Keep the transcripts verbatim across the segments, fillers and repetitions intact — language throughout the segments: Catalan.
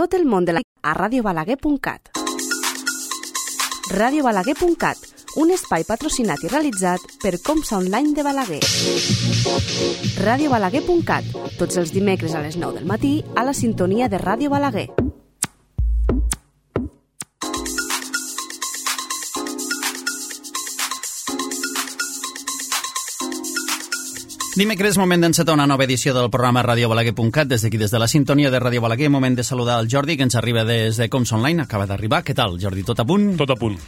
tot el món de la a radio balaguer punt cat. radio balaguer punt cat, un espai patrocinat i realitzat per Comsa Online de Balaguer. radio balaguer punt cat, tots els dimecres a les nou del matí a la sintonia de Ràdio Balaguer. Dimecres, moment d'encetar una nova edició del programa radio balaguer punt cat, des d'aquí, des de la sintonia de Ràdio Balaguer. Moment de saludar el Jordi, que ens arriba des de Comsa Online, acaba d'arribar. Què tal, Jordi? Tot a punt? Tot a punt.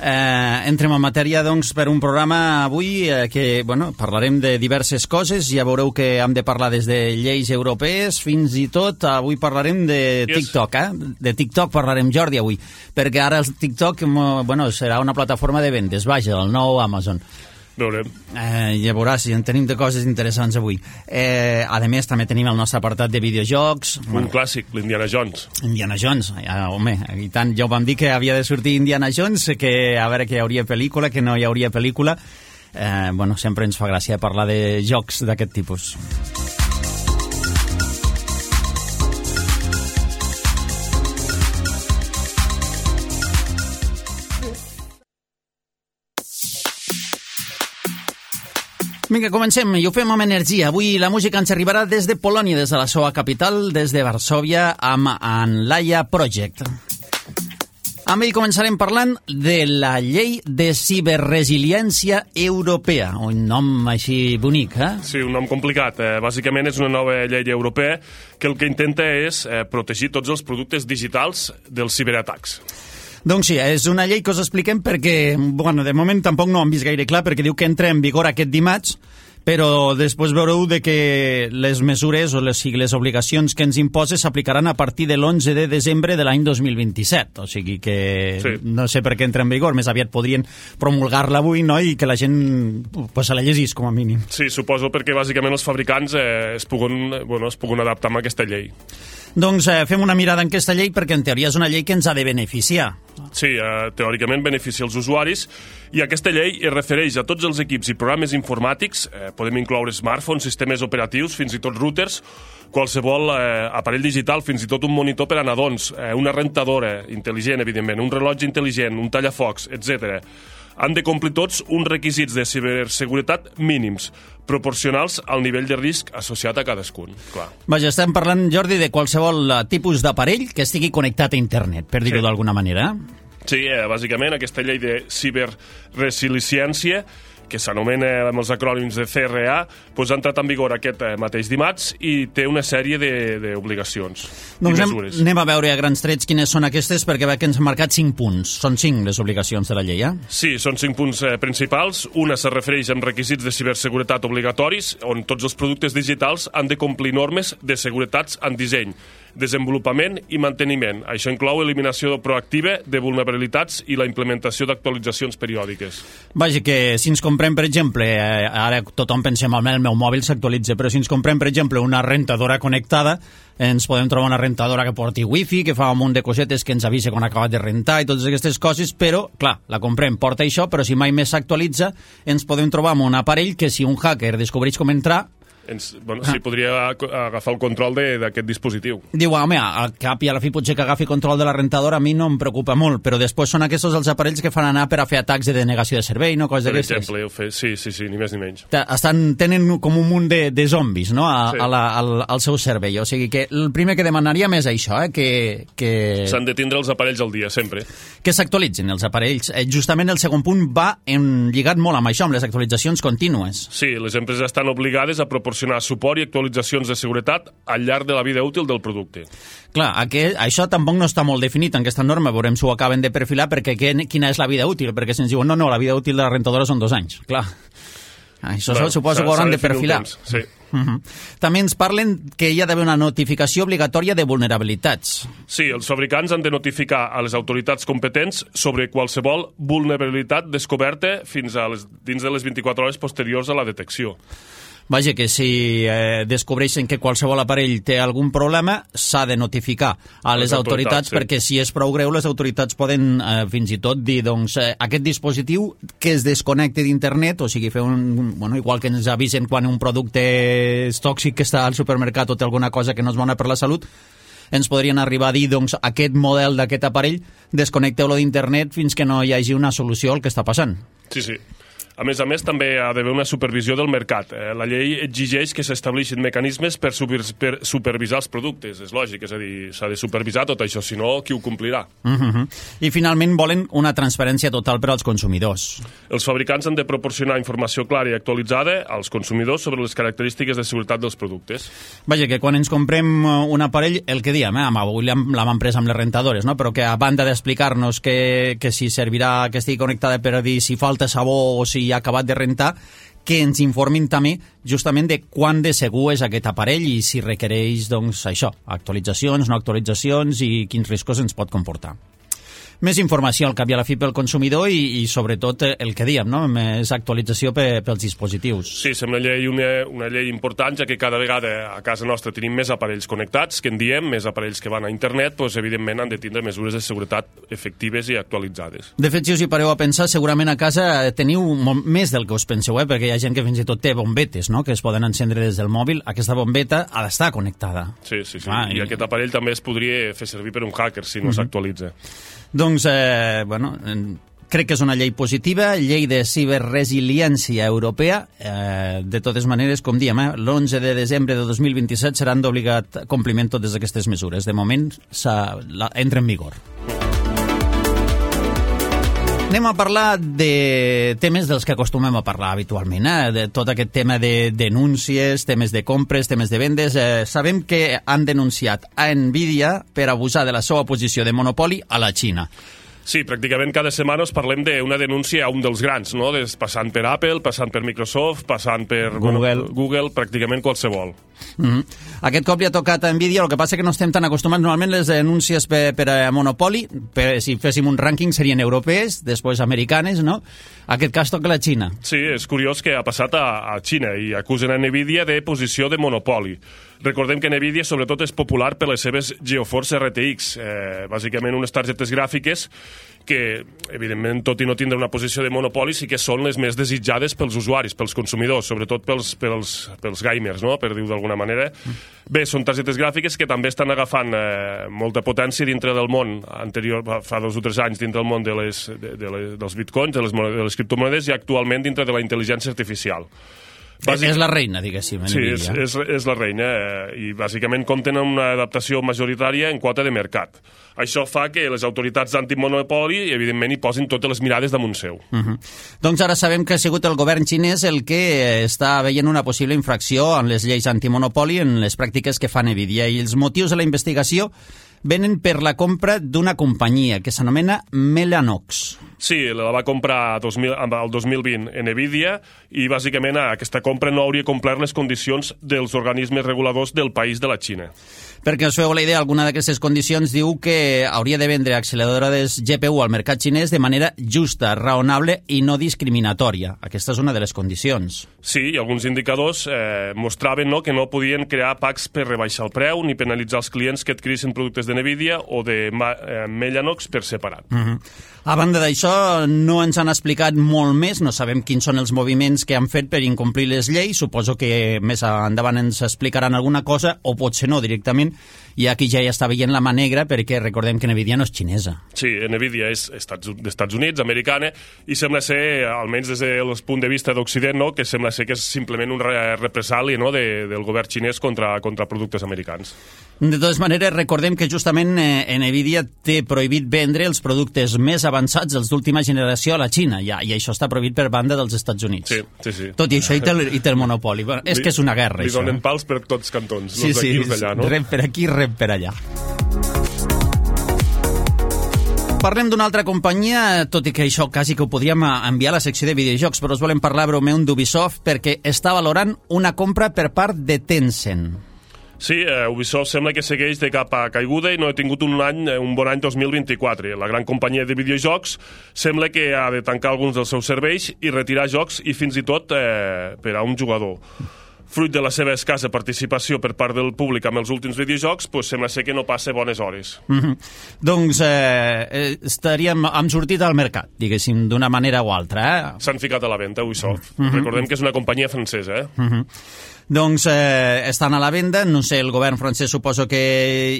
Eh, entrem en matèria, doncs, per un programa avui eh, que, bueno, parlarem de diverses coses. Ja veureu que hem de parlar des de lleis europees fins i tot, avui parlarem de TikTok, eh? De TikTok parlarem, Jordi, avui, perquè ara el TikTok, bueno, serà una plataforma de vendes, vaja, el nou Amazon. Veurem. Eh, ja veuràs, en tenim de coses interessants avui. Eh, a més, també tenim el nostre apartat de videojocs. Un bueno, clàssic, l'Indiana Jones. Indiana Jones, ja, home, i tant, ja ho vam dir que havia de sortir Indiana Jones, que a veure que hi hauria pel·lícula, que no hi hauria pel·lícula. Eh, bueno, sempre ens fa gràcia parlar de jocs d'aquest tipus. Vinga, comencem, i ho fem amb energia. Avui la música ens arribarà des de Polònia, des de la seva capital, des de Varsòvia, amb Anlaia Project. Amb ell començarem parlant de la llei de ciberresiliència europea, un nom així bonic, eh? Sí, un nom complicat. Eh, bàsicament és una nova llei europea que el que intenta és eh, protegir tots els productes digitals dels ciberatacs. Doncs sí, és una llei que us expliquem perquè, bueno, de moment tampoc no ho hem vist gaire clar, perquè diu que entra en vigor aquest dimarts, però després veureu de que les mesures o les, les obligacions que ens imposa s'aplicaran a partir de l'onze de desembre de l'any dos mil vint-i-set. O sigui que sí. No sé per què entra en vigor, més aviat podrien promulgar-la avui, no?, i que la gent pues, se la llegís, com a mínim. Sí, suposo perquè bàsicament els fabricants eh, es, puguen, bueno, es puguen adaptar a aquesta llei. Doncs eh, fem una mirada en aquesta llei perquè en teoria és una llei que ens ha de beneficiar. Sí, eh, teòricament beneficia els usuaris i aquesta llei es refereix a tots els equips i programes informàtics, eh, podem incloure smartphones, sistemes operatius, fins i tot routers, qualsevol eh, aparell digital, fins i tot un monitor per a nadons, eh, una rentadora intel·ligent, evidentment, un rellotge intel·ligent, un tallafocs, etcètera. Han de complir tots uns requisits de ciberseguretat mínims, proporcionals al nivell de risc associat a cadascun. Clar. Vaja, estem parlant, Jordi, de qualsevol tipus d'aparell que estigui connectat a internet, per dir-ho sí. d'alguna manera. Sí, eh, bàsicament aquesta llei de ciberresiliència, que s'anomena amb els acrònims de C R A, doncs ha entrat en vigor aquest mateix dimarts i té una sèrie d'obligacions doncs i mesures. Anem, anem a veure a grans trets quines són aquestes, perquè veig que ens han marcat cinc punts. Són cinc les obligacions de la llei, eh? Sí, són cinc punts eh, principals. Una se refereix amb requisits de ciberseguretat obligatoris, on tots els productes digitals han de complir normes de seguretats en disseny, desenvolupament i manteniment. Això inclou eliminació proactiva de vulnerabilitats i la implementació d'actualitzacions periòdiques. Vaja, que si ens comprem, per exemple, eh, ara tothom pensem, el meu mòbil s'actualitza, però si ens comprem, per exemple, una rentadora connectada, ens podem trobar una rentadora que porti wifi, que fa un munt de cosetes que ens avisa quan ha acabat de rentar i totes aquestes coses, però, clar, la comprem, porta això, però si mai més s'actualitza, ens podem trobar amb un aparell que si un hacker descobreix com entrar, Ens, bueno, sí, podria agafar el control d'aquest dispositiu. Diu, home, al cap i a la fi potser que agafi control de la rentadora a mi no em preocupa molt, però després són aquests els aparells que fan anar per a fer atacs de denegació de servei, no? Coses d'aquestes. Per exemple, sí, sí, sí, ni més ni menys. Estan, tenen com un munt de, de zombis, no?, a, sí. a la, al, al seu servei. O sigui que el primer que demanaríem és això, eh? que... que... S'han de tindre els aparells al dia, sempre. Que s'actualitzin els aparells. Eh, justament el segon punt va en, lligat molt amb això, amb les actualitzacions contínues. Sí, les empreses estan obligades a proporcionar suport i actualitzacions de seguretat al llarg de la vida útil del producte. Clar, aquest, això tampoc no està molt definit en aquesta norma, veurem si ho acaben de perfilar, perquè que, quina és la vida útil, perquè si ens diuen, no, no, la vida útil de la rentadora són dos anys. Clar, això bueno, suposo que ho hauran de perfilar. Sí. Uh-huh. També ens parlen que hi ha d'haver una notificació obligatòria de vulnerabilitats. Sí, els fabricants han de notificar a les autoritats competents sobre qualsevol vulnerabilitat descoberta fins a les, dins de les vint-i-quatre hores posteriors a la detecció. Vaja, que si eh, descobreixen que qualsevol aparell té algun problema, s'ha de notificar a les, les autoritats, autoritats sí. perquè si és prou greu, les autoritats poden eh, fins i tot dir, doncs, eh, aquest dispositiu que es desconnecti d'internet, o sigui, fer un, bueno, igual que ens avisen quan un producte és tòxic que està al supermercat o té alguna cosa que no és bona per la salut, ens podrien arribar a dir, doncs, aquest model d'aquest aparell, desconnecteu-lo d'internet fins que no hi hagi una solució al que està passant. Sí, sí. A més a més, també ha d'haver una supervisió del mercat. Eh, la llei exigeix que s'estableixin mecanismes per, super, per supervisar els productes. És lògic, és a dir, s'ha de supervisar tot això, si no, qui ho complirà? Uh-huh. I finalment volen una transparència total per als consumidors. Els fabricants han de proporcionar informació clara i actualitzada als consumidors sobre les característiques de seguretat dels productes. Vaja, que quan ens comprem un aparell, el que diem, eh, amb avui l'hem emprès amb les rentadores, no? Però que a banda d'explicar-nos que, que si servirà que estigui connectada per a dir si falta sabó o si ha acabat de rentar, que ens informin també justament de quan de segur és aquest aparell i si requereix, doncs, això, actualitzacions, no actualitzacions i quins riscos ens pot comportar. Més informació al cap i a la fi pel consumidor i, i sobretot el que diem, no? Més actualització pe, pels dispositius. Sí, sembla una llei, una, una llei important, ja que cada vegada a casa nostra tenim més aparells connectats, que en diem, més aparells que van a internet, doncs evidentment han de tindre mesures de seguretat efectives i actualitzades. De fet, si us hi pareu a pensar, segurament a casa teniu molt més del que us penseu, eh? Perquè hi ha gent que fins i tot té bombetes, no? Que es poden encendre des del mòbil. Aquesta bombeta ha d'estar connectada. Sí, sí, sí. Ah, I, i aquest aparell també es podria fer servir per un hacker si no uh-huh. s'actualitza. Doncs, eh, bueno, crec que és una llei positiva, llei de ciberresiliència europea. Eh, de totes maneres, com diem, eh, l'onze de desembre de dos mil vint-i-set seran d'obligat compliment totes aquestes mesures. De moment, la, entra en vigor. Anem a parlar de temes dels que acostumem a parlar habitualment, eh? De tot aquest tema de denúncies, temes de compres, temes de vendes. Eh, sabem que han denunciat a Nvidia per abusar de la seva posició de monopoli a la Xina. Sí, pràcticament cada setmana us parlem d'una denúncia a un dels grans, no? Des, passant per Apple, passant per Microsoft, passant per Google, bueno, Google pràcticament qualsevol. Mm-hmm. Aquest cop li ha tocat a Nvidia, el que passa que no estem tan acostumats. Normalment les denúncies per, per a monopoli, per, si féssim un rànquing, serien europees, després americanes, no? Aquest cas toca la Xina. Sí, és curiós que ha passat a, a Xina i acusen a Nvidia de posició de monopoli. Recordem que Nvidia sobretot és popular per les seves GeForce R T X, eh, bàsicament unes targetes gràfiques que, evidentment, tot i no tindre una posició de monopoli, sí que són les més desitjades pels usuaris, pels consumidors, sobretot pels, pels, pels gamers, no? Per dir-ho d'alguna manera. Bé, són targetes gràfiques que també estan agafant eh, molta potència dintre del món anterior, fa dos o tres anys, dintre del món de les, de, de les, dels bitcoins, de les, de les criptomonedes i actualment dintre de la intel·ligència artificial. Bàsic... És la reina, diguéssim. Sí, és, és, és la reina eh, i bàsicament compten amb una adaptació majoritària en quota de mercat. Això fa que les autoritats d'antimonopoli, evidentment, hi posin totes les mirades damunt seu. Uh-huh. Doncs ara sabem que ha sigut el govern xinès el que està veient una possible infracció en les lleis antimonopoli en les pràctiques que fa Nvidia, i els motius de la investigació venen per la compra d'una companyia que s'anomena Mellanox. Sí, la va comprar dos mil, el dos mil vint Nvidia i bàsicament aquesta compra no hauria complert les condicions dels organismes reguladors del país de la Xina. Perquè us feu la idea, alguna d'aquestes condicions diu que hauria de vendre acceleradores G P U al mercat xinès de manera justa, raonable i no discriminatòria. Aquesta és una de les condicions. Sí, i alguns indicadors eh, mostraven no, que no podien crear packs per rebaixar el preu ni penalitzar els clients que adquirissin productes de Nvidia o de eh, Mellanox per separat. Uh-huh. A banda d'això, no ens han explicat molt més, no sabem quins són els moviments que han fet per incomplir les lleis, suposo que més endavant ens explicaran alguna cosa, o potser no directament, i aquí ja hi està veient la mà negra, perquè recordem que Nvidia no és xinesa. Sí, Nvidia és Estats, d'Estats Units, americana, i sembla ser, almenys des del punt de vista d'Occident, no, que sembla ser que és simplement un represali no, de, del govern xinès contra, contra productes americans. De totes maneres, recordem que justament eh, Nvidia té prohibit vendre els productes més avançats, els d'última generació, a la Xina, ja, i això està prohibit per banda dels Estats Units. Sí, sí, sí. Tot i això, i té el, i té el monopoli. Bueno, és li, que és una guerra, li això. Li donen pals per tots cantons, sí, els d'aquí sí, i els d'allà, no? Rep per aquí, rep per allà. Parlem d'una altra companyia, tot i que això quasi que ho podríem enviar a la secció de videojocs, però us volem parlar breument d'Ubisoft perquè està valorant una compra per part de Tencent. Sí, eh, Ubisoft sembla que segueix de cap a caiguda i no ha tingut un any, un bon any dos mil vint-i-quatre. La gran companyia de videojocs sembla que ha de tancar alguns dels seus serveis i retirar jocs i fins i tot eh, per a un jugador. Fruit de la seva escassa participació per part del públic amb els últims videojocs, pues sembla ser que no passa bones hores. Mm-hmm. Doncs eh, estaríem, hem sortit al mercat, diguéssim, d'una manera o altra. Eh? S'han ficat a la venda, Ubisoft. Mm-hmm. Recordem que és una companyia francesa, eh? Mm-hmm. Doncs eh, estan a la venda, no sé, el govern francès suposo que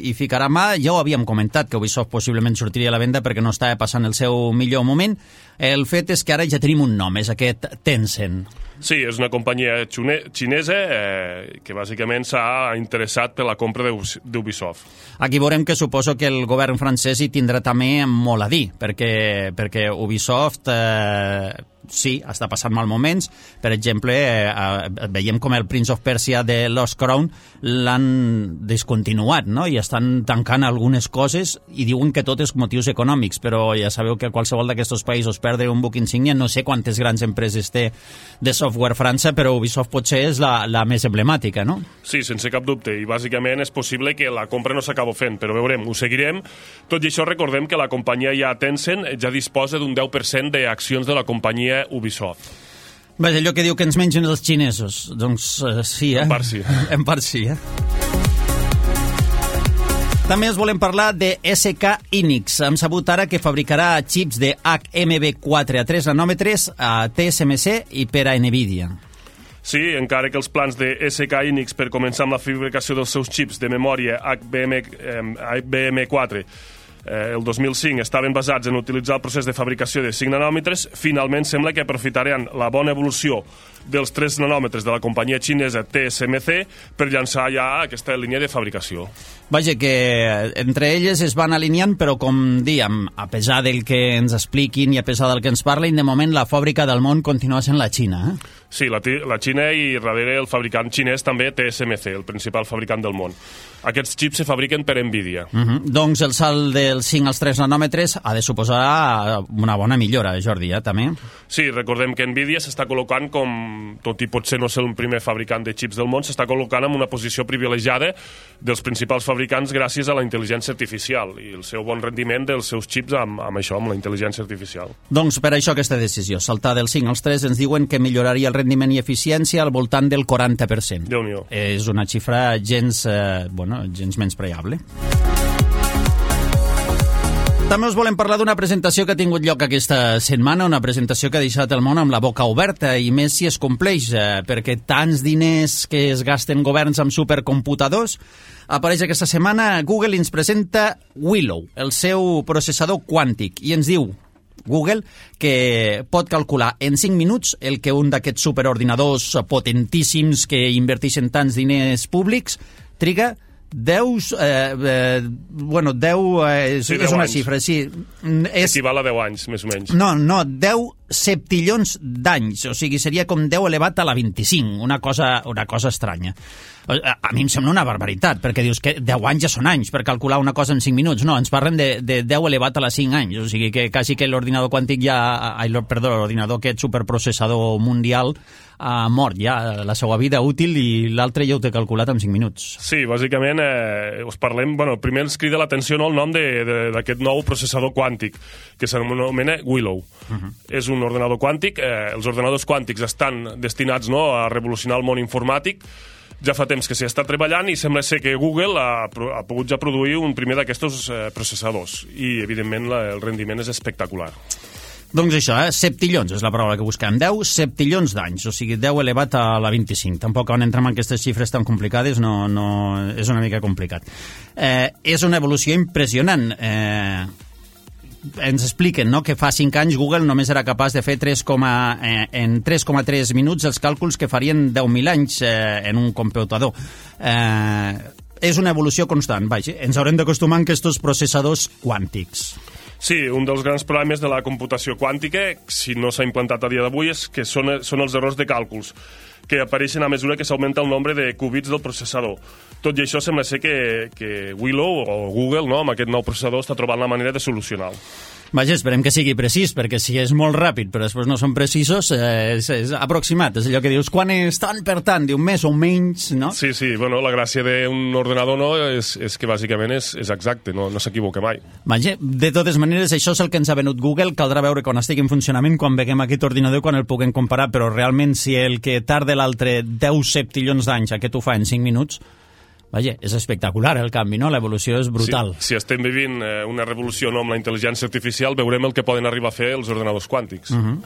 hi ficarà mà. Ja ho havíem comentat, que Ubisoft possiblement sortiria a la venda perquè no estava passant el seu millor moment. El fet és que ara ja tenim un nom, és aquest Tencent. Sí, és una companyia xinesa eh, que bàsicament s'ha interessat per la compra d'Ubisoft. Aquí veurem que suposo que el govern francès hi tindrà també molt a dir, perquè, perquè Ubisoft... Eh, sí, està passant mal moments. Per exemple, eh, veiem com el Prince of Persia de Lost Crown l'han descontinuat, no? I estan tancant algunes coses i diuen que tot és motius econòmics, però ja sabeu que qualsevol d'aquests països perdre un buc insígnia, no sé quantes grans empreses té de software França, però Ubisoft potser és la, la més emblemàtica, no? Sí, sense cap dubte, i bàsicament és possible que la compra no s'acaba fent, però veurem, ho seguirem. Tot i això, recordem que la companyia ja Tencent ja disposa d'un deu per cent d'accions de la companyia Ubisoft. Vaja, allò que diu que ens mengen els xinesos. Doncs uh, sí, eh? En part sí. En part sí, eh? També us volem parlar de S K Hynix. Hem sabut ara que fabricarà xips de H M B quatre a tres nanòmetres a T S M C i per a Nvidia. Sí, encara que els plans de S K Hynix per començar amb la fabricació dels seus xips de memòria H B M, eh, H B M quatre eh, el dos mil cinc estaven basats en utilitzar el procés de fabricació de cinc nanòmetres, finalment sembla que aprofitaran la bona evolució dels tres nanòmetres de la companyia xinesa T S M C per llançar ja aquesta línia de fabricació. Vaja, que entre elles es van alineant, però com diem, a pesar del que ens expliquin i a pesar del que ens parlin, de moment la fàbrica del món continua sent la Xina, eh? Sí, la, la Xina i darrere el fabricant xinès també T S M C, el principal fabricant del món. Aquests xips se fabriquen per Nvidia. Uh -huh. Doncs el salt dels cinc als tres nanòmetres ha de suposar una bona millora, Jordi, eh, també? Sí, recordem que Nvidia s'està col·locant com, tot i potser no ser el primer fabricant de xips del món, s'està col·locant en una posició privilegiada dels principals fabricants gràcies a la intel·ligència artificial i el seu bon rendiment dels seus xips amb, amb això, amb la intel·ligència artificial. Doncs per això aquesta decisió, saltar dels cinc als tres, ens diuen que milloraria el rendiment i eficiència al voltant del quaranta per cent. Déu-n'hi-do. És una xifra gens, eh, bueno, gens menyspreable. També us volem parlar d'una presentació que ha tingut lloc aquesta setmana, una presentació que ha deixat el món amb la boca oberta, i més si es compleix, eh, perquè tants diners que es gasten governs amb supercomputadors. Apareix aquesta setmana, Google ens presenta Willow, el seu processador quàntic, i ens diu Google que pot calcular en cinc minuts el que un d'aquests superordinadors potentíssims que inverteixen tants diners públics triga deu, eh, eh, bueno, deu, eh, sí, és deu una anys. xifra, sí. És, equival a deu anys, més o menys. No, no, deu septillons d'anys, o sigui, seria com deu elevat a la vint-i-cinc, una cosa, una cosa estranya. A, a mi em sembla una barbaritat, perquè dius que deu anys ja són anys per calcular una cosa en cinc minuts. No, ens parlen de, de deu elevat a la cinc anys, o sigui que quasi que l'ordinador quàntic ja, ai, perdó, l'ordinador aquest superprocessador mundial ha mort ja la seva vida útil i l'altre ja ho té calculat en cinc minuts. Sí, bàsicament eh, us parlem, bueno, primer ens crida l'atenció, no, el nom d'aquest nou processador quàntic que s'anomena Willow. Uh -huh. És un ordenador quàntic, eh, els ordenadors quàntics estan destinats, no, a revolucionar el món informàtic. Ja fa temps que s'hi està treballant i sembla ser que Google ha, ha pogut ja produir un primer d'aquests eh, processadors i evidentment la, el rendiment és espectacular. Doncs això, eh? septillons és la paraula que busquem. deu septillons d'anys, o sigui, deu elevat a la vint-i-cinc. Tampoc quan entrem en aquestes xifres tan complicades no, no, és una mica complicat. Eh, és una evolució impressionant. Eh, ens expliquen, no?, que fa cinc anys Google només era capaç de fer tres, eh, en tres coma tres minuts els càlculs que farien deu mil anys eh, en un computador. Eh, és una evolució constant, vaja. Ens haurem d'acostumar a aquests processadors quàntics. Sí, un dels grans problemes de la computació quàntica, si no s'ha implantat a dia d'avui, és que són, són els errors de càlculs, que apareixen a mesura que s'augmenta el nombre de qubits del processador. Tot i això sembla ser que, que Willow o Google, no, amb aquest nou processador, està trobant la manera de solucionar-ho. Vaja, esperem que sigui precís, perquè si és molt ràpid però després no són precisos, eh, és, és aproximat, és allò que dius, quan és tant per tant, diu més o menys, no? Sí, sí, bueno, la gràcia d'un ordenador no és, és que bàsicament és, és exacte, no, no s'equivoca mai. Vaja, de totes maneres, això és el que ens ha venut Google, caldrà veure quan estigui en funcionament, quan veguem aquest ordinador, quan el puguem comparar, però realment si el que tarda l'altre deu septillons d'anys, aquest ho fa en cinc minuts, vaja, és espectacular el canvi, no? L'evolució és brutal. Si, si estem vivint eh, una revolució no, amb la intel·ligència artificial, veurem el que poden arribar a fer els ordenadors quàntics. Uh-huh.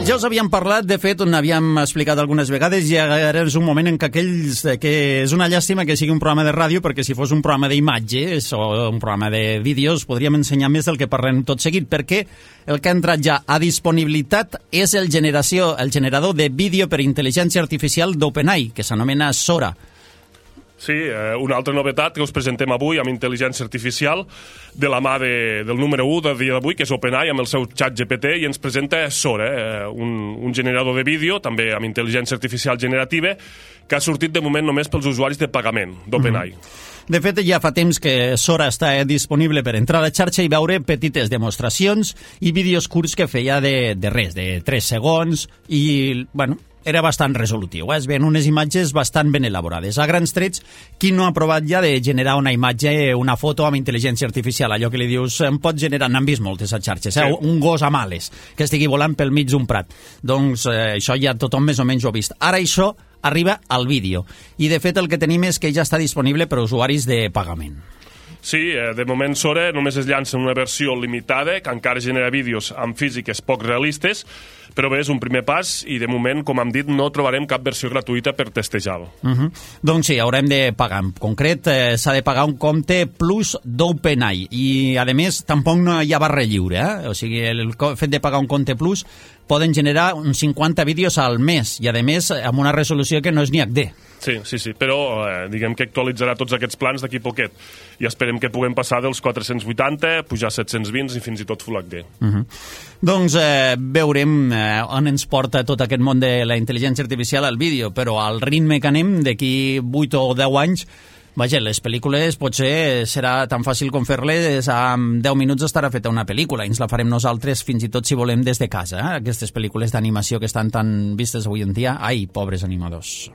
Ja us havíem parlat, de fet, on havíem explicat algunes vegades, i ara és un moment en què aquells... que és una llàstima que sigui un programa de ràdio, perquè si fos un programa d'imatges o un programa de vídeos podríem ensenyar més del que parlem tot seguit, perquè el que ha entrat ja a disponibilitat és el, generació, el generador de vídeo per intel·ligència artificial d'OpenAI, que s'anomena Sora. Sí, eh, una altra novetat que us presentem avui amb intel·ligència artificial de la mà de, del número u del dia d'avui, que és OpenAI amb el seu xat G P T, i ens presenta Sora, eh, un, un generador de vídeo, també amb intel·ligència artificial generativa, que ha sortit de moment només pels usuaris de pagament d'OpenAI. Mm-hmm. De fet, ja fa temps que Sora està disponible per entrar a la xarxa i veure petites demostracions i vídeos curts que feia de, de res, de tres segons, i, bueno, era bastant resolutiu, eh? Es veien unes imatges bastant ben elaborades. A grans trets, qui no ha provat ja de generar una imatge, una foto amb intel·ligència artificial, allò que li dius, em pot generar, n'han vist moltes a xarxes, eh? Sí. Un gos amb ales que estigui volant pel mig d'un prat. Doncs eh, això ja tothom més o menys ho ha vist. Ara això arriba al vídeo, i de fet el que tenim és que ja està disponible per a usuaris de pagament. Sí, eh, de moment Sora només es llança en una versió limitada, que encara genera vídeos amb físiques poc realistes, però bé, és un primer pas i de moment, com hem dit, no trobarem cap versió gratuïta per testejar-lo. Uh-huh. Doncs sí, haurem de pagar. En concret, eh, s'ha de pagar un compte plus d'OpenAI i, a més, tampoc no hi ha barra lliure. Eh? O sigui, el fet de pagar un compte plus poden generar uns cinquanta vídeos al mes i, a més, amb una resolució que no és ni H D. Sí, sí, sí, però eh, diguem que actualitzarà tots aquests plans d'aquí poquet i esperem que puguem passar dels quatre-cents vuitanta, pujar a set-cents vint i fins i tot Full H D. Uh-huh. Doncs eh, veurem eh, on ens porta tot aquest món de la intel·ligència artificial al vídeo, però al ritme que anem, d'aquí vuit o deu anys, vaja, les pel·lícules potser serà tan fàcil com fer-les, en deu minuts estarà feta una pel·lícula, i ens la farem nosaltres fins i tot si volem des de casa, eh? Aquestes pel·lícules d'animació que estan tan vistes avui en dia. Ai, pobres animadors.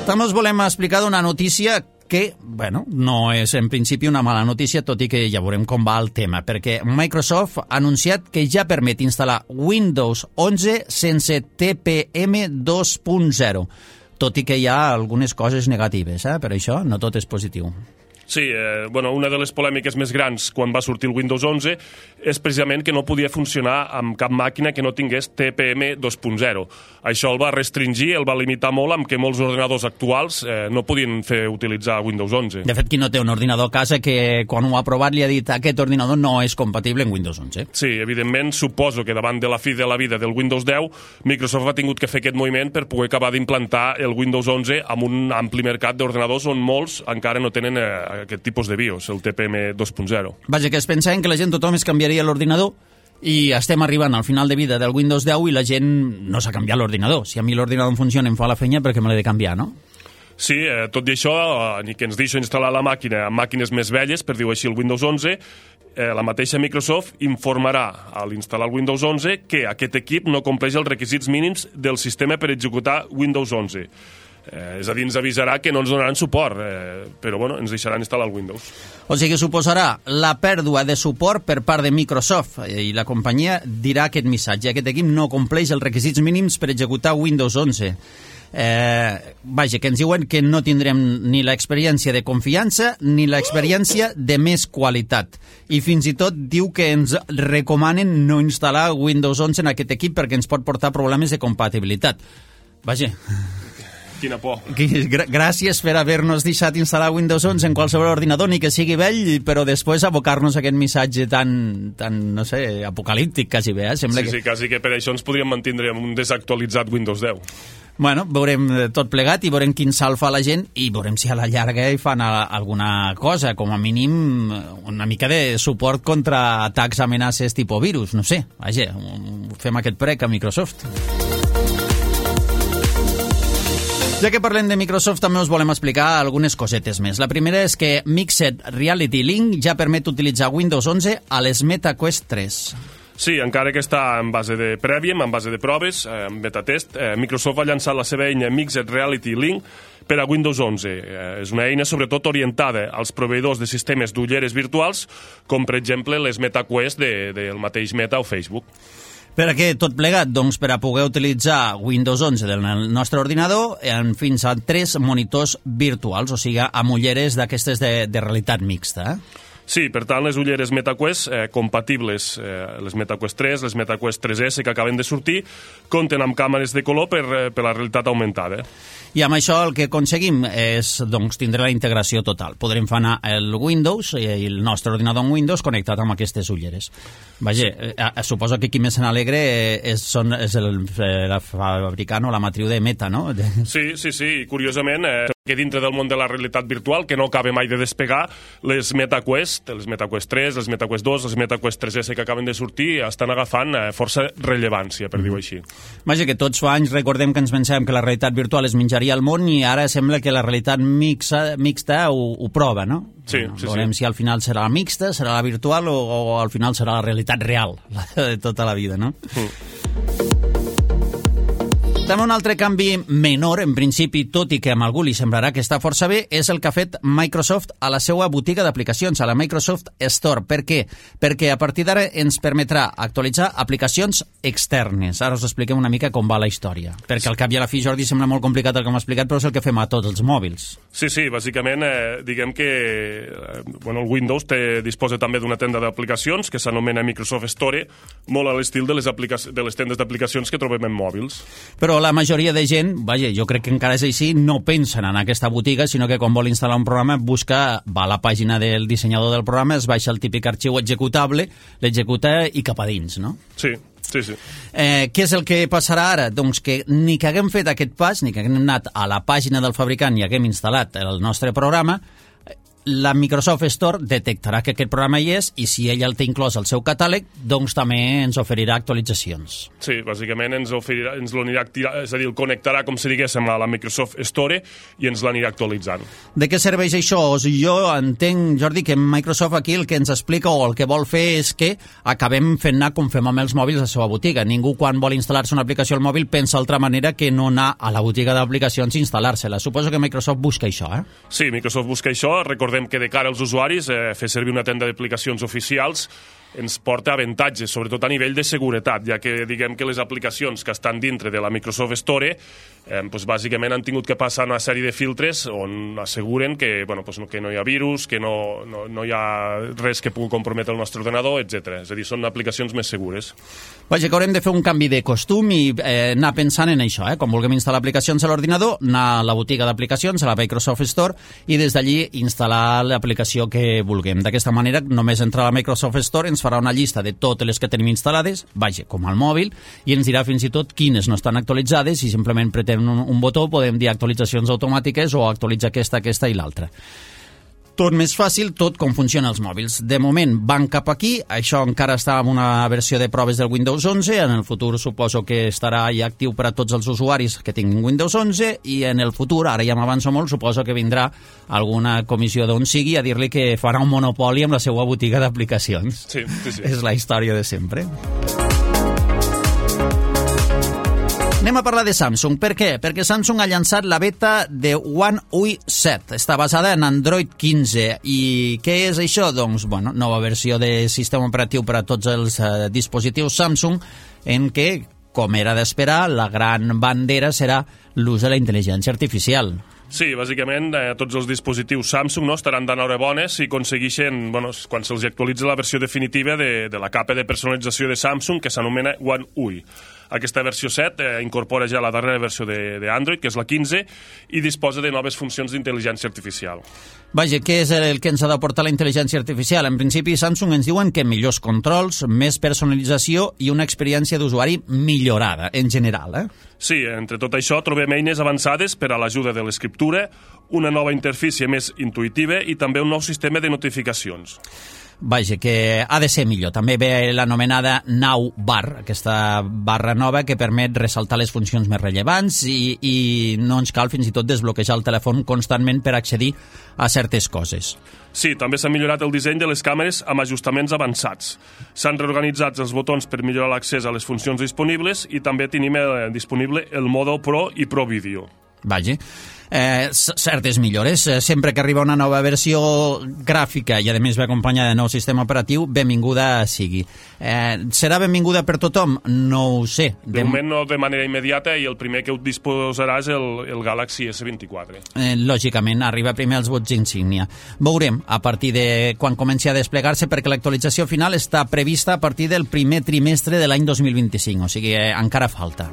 També us volem explicar d'una notícia que, bueno, no és en principi una mala notícia, tot i que ja veurem com va el tema, perquè Microsoft ha anunciat que ja permet instal·lar Windows onze sense T P M dos punt zero, tot i que hi ha algunes coses negatives, eh? Per això no tot és positiu. Sí, eh, bueno, una de les polèmiques més grans quan va sortir el Windows onze és precisament que no podia funcionar amb cap màquina que no tingués T P M dos punt zero. Això el va restringir, el va limitar molt, amb que molts ordinadors actuals eh, no podien fer utilitzar Windows onze. De fet, qui no té un ordinador a casa que quan ho ha provat li ha dit aquest ordinador no és compatible amb Windows onze. Sí, evidentment, suposo que davant de la fi de la vida del Windows deu, Microsoft ha tingut que fer aquest moviment per poder acabar d'implantar el Windows onze amb un ampli mercat d'ordinadors on molts encara no tenen eh, aquest tipus de BIOS, el T P M dos punt zero. Vaja, que es pensaven que la gent tothom es canviaria l'ordinador i estem arribant al final de vida del Windows deu i la gent no s'ha canviat l'ordinador. Si a mi l'ordinador em funciona i em fa la feina, perquè me l'he de canviar, no? Sí, eh, tot i això, eh, ni que ens deixo instal·lar la màquina amb màquines més velles, per dir-ho així, el Windows onze, eh, la mateixa Microsoft informarà a l'instal·lar el Windows onze que aquest equip no compleix els requisits mínims del sistema per executar Windows onze. Eh, és a dir, ens avisarà que no ens donaran suport, eh, però bueno, ens deixaran instal·lar el Windows. O sigui, suposarà la pèrdua de suport per part de Microsoft i la companyia dirà aquest missatge. Aquest equip no compleix els requisits mínims per executar Windows onze. Eh, vaja, que ens diuen que no tindrem ni l'experiència de confiança ni l'experiència de més qualitat. I fins i tot diu que ens recomanen no instal·lar Windows onze en aquest equip perquè ens pot portar problemes de compatibilitat. Vaja... Quina por. Gràcies per haver-nos deixat instal·lar Windows onze en qualsevol ordinador, ni que sigui vell, però després abocar-nos aquest missatge tan, tan no sé, apocalíptic, quasi bé, eh? Sembla sí, que... sí, quasi que per això ens podríem mantindre amb un desactualitzat Windows deu. Bueno, veurem tot plegat i veurem quin salt fa la gent i veurem si a la llarga hi fan alguna cosa, com a mínim una mica de suport contra atacs, amenaces tipus virus, no sé. Vaja, fem aquest prec a Microsoft. Ja que parlem de Microsoft, també us volem explicar algunes cosetes més. La primera és que Mixed Reality Link ja permet utilitzar Windows onze a les MetaQuest tres. Sí, encara que està en base de prèviem, en base de proves, eh, en betatest, eh, Microsoft ha llançat la seva eina Mixed Reality Link per a Windows onze. Eh, és una eina sobretot orientada als proveïdors de sistemes d'ulleres virtuals, com per exemple les MetaQuest de, del mateix Meta o Facebook. Per a què tot plegat? Doncs per a poder utilitzar Windows onze del nostre ordinador en fins a tres monitors virtuals, o sigui, amb ulleres d'aquestes de, de realitat mixta. Eh? Sí, per tant, les ulleres MetaQuest, eh, compatibles, eh, les MetaQuest tres, les MetaQuest tres esse que acaben de sortir, compten amb càmeres de color per, eh, per la realitat augmentada. I amb això el que aconseguim és doncs, tindre la integració total. Podrem fer anar el Windows i el nostre ordinador en Windows connectat amb aquestes ulleres. Vaja, sí. eh, suposo que qui més se n'alegre és, són, és el, el fabricant o la matriu de Meta, no? Sí, sí, sí. Curiosament, eh, que dintre del món de la realitat virtual, que no acaba mai de despegar, les MetaQuest, les MetaQuest tres, les MetaQuest dos, les MetaQuest tres esse que acaben de sortir, estan agafant eh, força rellevància, per mm. dir-ho així. Vaja, que tots fa anys recordem que ens pensàvem que la realitat virtual es menjaria al món i ara sembla que la realitat mixta, mixta ho, ho prova, no? Sí, sí, Veurem sí. si al final serà la mixta, serà la virtual o, o al final serà la realitat real, la de tota la vida, no? Mm. També un altre canvi menor, en principi, tot i que a algú li semblarà que està força bé, és el que ha fet Microsoft a la seva botiga d'aplicacions, a la Microsoft Store. Per què? Perquè a partir d'ara ens permetrà actualitzar aplicacions externes. Ara us expliquem una mica com va la història. Perquè al cap i a la fi, Jordi, sembla molt complicat el que m'ha explicat, però és el que fem a tots els mòbils. Sí, sí, bàsicament, eh, diguem que eh, bueno, el Windows té, disposa també d'una tenda d'aplicacions que s'anomena Microsoft Store, molt a l'estil de les, de les tendes d'aplicacions que trobem en mòbils. Però la majoria de gent, vaja, jo crec que encara és així, no pensen en aquesta botiga, sinó que quan vol instal·lar un programa busca, va a la pàgina del dissenyador del programa, es baixa el típic arxiu executable, l'executa i cap a dins, no? Sí, sí, sí. Eh, què és el que passarà ara? Doncs que ni que haguem fet aquest pas, ni que haguem anat a la pàgina del fabricant i haguem instal·lat el nostre programa, la Microsoft Store detectarà que aquest programa hi és i si ella el té inclòs al seu catàleg, doncs també ens oferirà actualitzacions. Sí, bàsicament ens oferirà, ens l'anirà, és a dir, el connectarà, com si diguéssim, a la Microsoft Store i ens l'anirà actualitzant. De què serveix això? Jo entenc, Jordi, que Microsoft aquí el que ens explica o el que vol fer és que acabem fent anar com fem amb els mòbils a la seva botiga. Ningú quan vol instal·lar-se una aplicació al mòbil pensa d'altra manera que no anar a la botiga d'aplicacions i instal·lar-se-la. Suposo que Microsoft busca això, eh? Sí, Microsoft busca això. Recordem que de cara als usuaris, eh, fer servir una tenda d'aplicacions oficials ens porta avantatges, sobretot a nivell de seguretat, ja que diguem que les aplicacions que estan dintre de la Microsoft Store eh, doncs bàsicament han tingut que passar una sèrie de filtres on asseguren que, bueno, doncs que no hi ha virus, que no, no, no hi ha res que pugui comprometre el nostre ordenador, etcètera. És a dir, són aplicacions més segures. Vaja, que haurem de fer un canvi de costum i eh, anar pensant en això, eh? Quan vulguem instal·lar aplicacions a l'ordinador, anar a la botiga d'aplicacions, a la Microsoft Store, i des d'allí instal·lar l'aplicació que vulguem. D'aquesta manera, només entrar a la Microsoft Store ens farà una llista de totes les que tenim instal·lades, vaja, com al mòbil, i ens dirà fins i tot quines no estan actualitzades i simplement pretem un, un botó, podem dir actualitzacions automàtiques o actualitza aquesta, aquesta i l'altra. Tot més fàcil, tot com funcionen els mòbils. De moment van cap aquí, això encara està en una versió de proves del Windows onze, en el futur suposo que estarà ja actiu per a tots els usuaris que tinguin Windows onze, i en el futur, ara ja m'avanço molt, suposo que vindrà alguna comissió d'on sigui a dir-li que farà un monopoli amb la seva botiga d'aplicacions. Sí, sí, sí. És la història de sempre. Anem a parlar de Samsung. Per què? Perquè Samsung ha llançat la beta de One U I set. Està basada en Android quinze. I què és això? Doncs, bueno, nova versió de sistema operatiu per a tots els eh, dispositius Samsung, en què, com era d'esperar, la gran bandera serà l'ús de la intel·ligència artificial. Sí, bàsicament eh, tots els dispositius Samsung no, estaran d'enhorabona si aconsegueixen, bueno, quan se'ls actualitza la versió definitiva de, de la capa de personalització de Samsung que s'anomena One U I. Aquesta versió set eh, incorpora ja la darrera versió d'Android, que és la quinze, i disposa de noves funcions d'intel·ligència artificial. Vaja, què és el que ens ha d'aportar la intel·ligència artificial? En principi, Samsung ens diuen que millors controls, més personalització i una experiència d'usuari millorada, en general, eh? Sí, entre tot això trobem eines avançades per a l'ajuda de l'escriptura, una nova interfície més intuïtiva i també un nou sistema de notificacions. Vaja, que ha de ser millor. També ve l'anomenada Now Bar, aquesta barra nova que permet ressaltar les funcions més rellevants i, i no ens cal fins i tot desbloquejar el telèfon constantment per accedir a certes coses. Sí, també s'ha millorat el disseny de les càmeres amb ajustaments avançats. S'han reorganitzat els botons per millorar l'accés a les funcions disponibles i també tenim eh, disponible el modo Pro i Pro Video. Vaja. Eh, certes millores. Eh, sempre que arriba una nova versió gràfica i a més ve acompanyada de nou sistema operatiu, benvinguda sigui. Eh, serà benvinguda per tothom? No ho sé. De, de moment no de manera immediata, i el primer que ho disposarà és el, el Galaxy esse vint-i-quatre. Eh, lògicament, arriba primer als vots insígnia. Veurem a partir de quan comenci a desplegar-se, perquè l'actualització final està prevista a partir del primer trimestre de l'any dos mil vint-i-cinc, o sigui, eh, encara falta.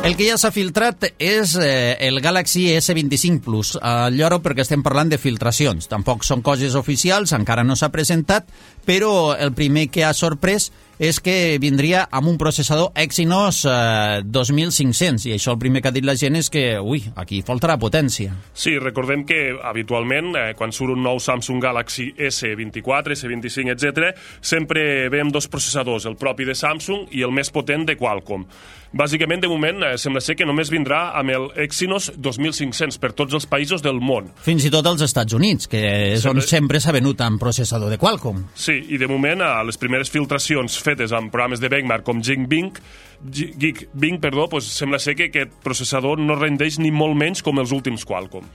El que ja s'ha filtrat és eh, el Galaxy esse vint-i-cinc Plus. Eh, lloro perquè estem parlant de filtracions. Tampoc són coses oficials, encara no s'ha presentat, però el primer que ha sorprès és que vindria amb un processador Exynos eh, dos mil cinc-cents, i això el primer que ha dit la gent és que, ui, aquí faltarà potència. Sí, recordem que habitualment, eh, quan surt un nou Samsung Galaxy esse vint-i-quatre, esse vint-i-cinc, etcètera, sempre ve amb dos processadors, el propi de Samsung i el més potent de Qualcomm. Bàsicament, de moment, eh, sembla ser que només vindrà amb el Exynos dos mil cinc-cents per tots els països del món. Fins i tot als Estats Units, que és sempre... on sempre s'ha venut amb processador de Qualcomm. Sí, i de moment, a les primeres filtracions fetes amb programes de benchmark com Geekbench, Geekbench, perdó, pues sembla ser que aquest processador no rendeix ni molt menys com els últims Qualcomm.